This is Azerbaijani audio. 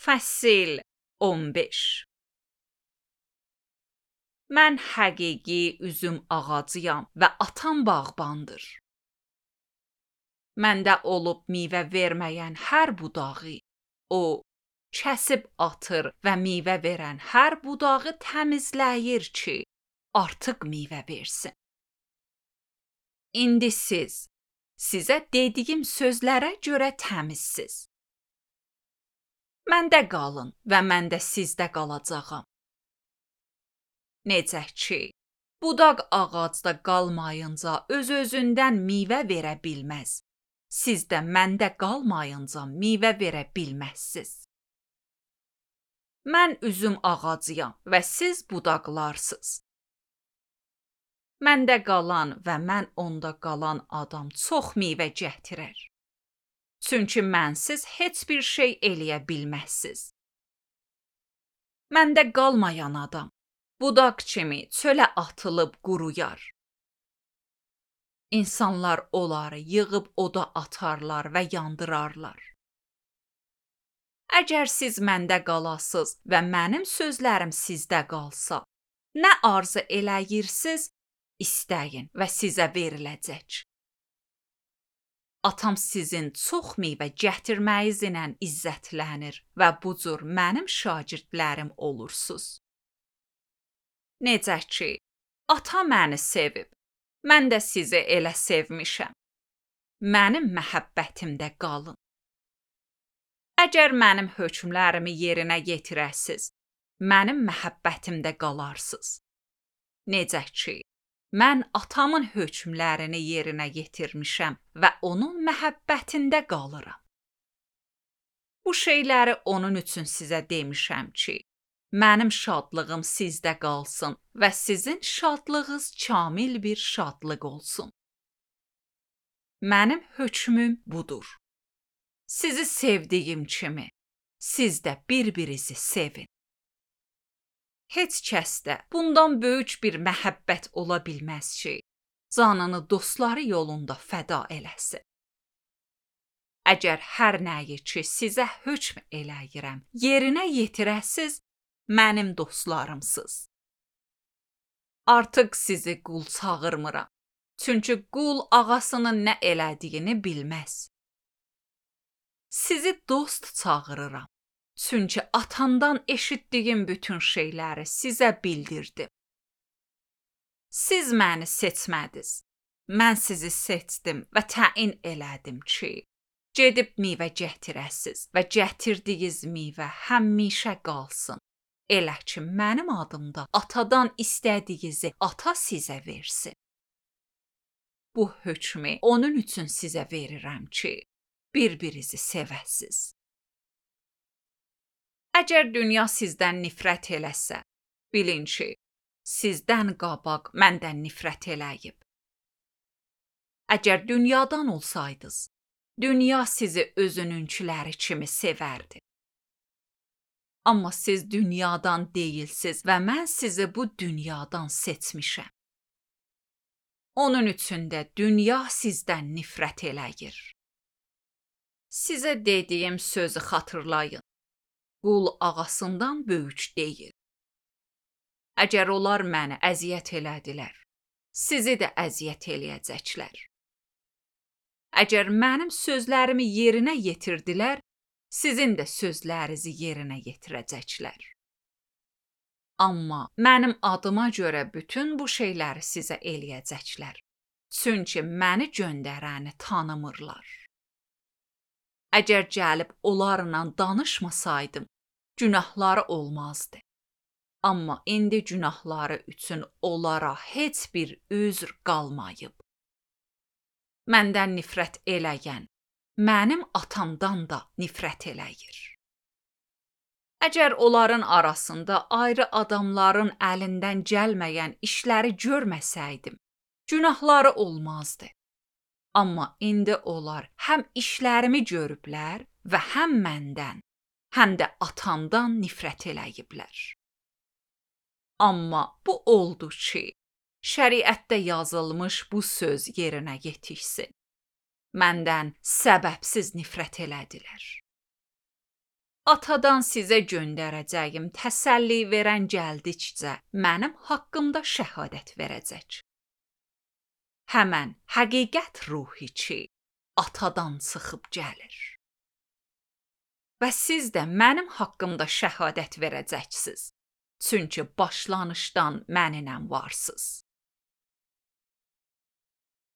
Fəsil 15. Mən həqiqi üzüm ağacıyam və atam bağbandır. Məndə olub meyvə verməyən hər budağı, o kəsib atır və meyvə verən hər budağı təmizləyir ki, artıq meyvə versin. İndi sizə dediyim sözlərə görə təmizsiz. Məndə qalın və mən də sizdə qalacağam. Necə ki, budaq ağacda qalmayınca öz-özündən meyvə verə bilməz. Siz də məndə qalmayınca meyvə verə bilməzsiz. Mən üzüm ağacıyam və siz budaqlarsınız. Məndə qalan və mən onda qalan adam çox meyvə gətirər. Çünki mənsiz heç bir şey eləyə bilməzsiz. Məndə qalmayan adam budaq kimi çölə atılıb quruyar. İnsanlar onları yığıb oda atarlar və yandırarlar. Əgər siz məndə qalasız və mənim sözlərim sizdə qalsa, nə arzu eləyirsiniz, istəyin və sizə veriləcək. Atam sizin çox meyvə gətirməyinizlə izzətlənir və bu cür mənim şagirdlərim olursunuz. Necə ki, ata məni sevib, mən də sizi elə sevmişəm. Mənim məhəbbətimdə qalın. Əgər mənim hökmlərimi yerinə yetirəsiz, mənim məhəbbətimdə qalarsınız. Necə ki, mən atamın hökmlərini yerinə yetirmişəm və onun məhəbbətində qalıram. Bu şeyləri onun üçün sizə demişəm ki, mənim şadlığım sizdə qalsın və sizin şadlığınız kamil bir şadlıq olsun. Mənim hökmüm budur. Sizi sevdiyim kimi, siz də bir-birinizi sevin. Heç kəsdə bundan böyük bir məhəbbət ola bilməz ki, canını dostları yolunda fəda eləsin. Əgər hər nəyi ki, sizə hökm eləyirəm, yerinə yetirəsiz, mənim dostlarımsınız. Artıq sizi qul çağırmıram, çünki qul ağasının nə elədiyini bilməz. Sizi dost çağırıram. Çünki atamdan eşitdiyim bütün şeyləri sizə bildirdim. Siz məni seçmədiniz. Mən sizi seçdim və təyin elədim ki, gedib meyvə gətirəsiz və gətirdiyiniz meyvə həmişə qalsın. Elə ki, mənim adımda atadan istədiyinizi ata sizə versin. Bu hökmü onun üçün sizə verirəm ki, bir-birinizi sevəsiz. Əgər dünya sizdən nifrət eləsə, bilin ki, sizdən qabaq məndən nifrət eləyib. Əgər dünyadan olsaydınız, dünya sizi özününkiləri kimi sevərdi. Amma siz dünyadan deyilsiz və mən sizi bu dünyadan seçmişəm. Onun üçün də dünya sizdən nifrət eləyir. Sizə dediyim sözü xatırlayın. Qul ağasından böyük deyil. Əgər onlar məni əziyyət elədilər, sizi də əziyyət eləyəcəklər. Əgər mənim sözlərimi yerinə yetirdilər, sizin də sözlərinizi yerinə yetirəcəklər. Amma mənim adıma görə bütün bu şeyləri sizə eləyəcəklər. Çünki məni göndərəni tanımırlar. Əgər gəlib onlarla danışmasaydım, günahları olmazdı. Amma indi günahları üçün onlara heç bir üzr qalmayıb. Məndən nifrət eləyən, mənim atamdan da nifrət eləyir. Əgər onların arasında ayrı adamların əlindən gəlməyən işləri görməsəydim, günahları olmazdı. Amma indi onlar həm işlərimi görüblər və həm məndən, həm də atamdan nifrət eləyiblər. Amma bu oldu ki, şəriətdə yazılmış bu söz yerinə yetişsin. Məndən səbəbsiz nifrət elədilər. Atadan sizə göndərəcəyim təsəlli verən gəldikcə mənim haqqımda şəhadət verəcək. Həmən həqiqət ruhi ki, atadan çıxıb gəlir. Və siz də mənim haqqımda şəhadət verəcəksiniz. Çünki başlanışdan mənimlə varsınız.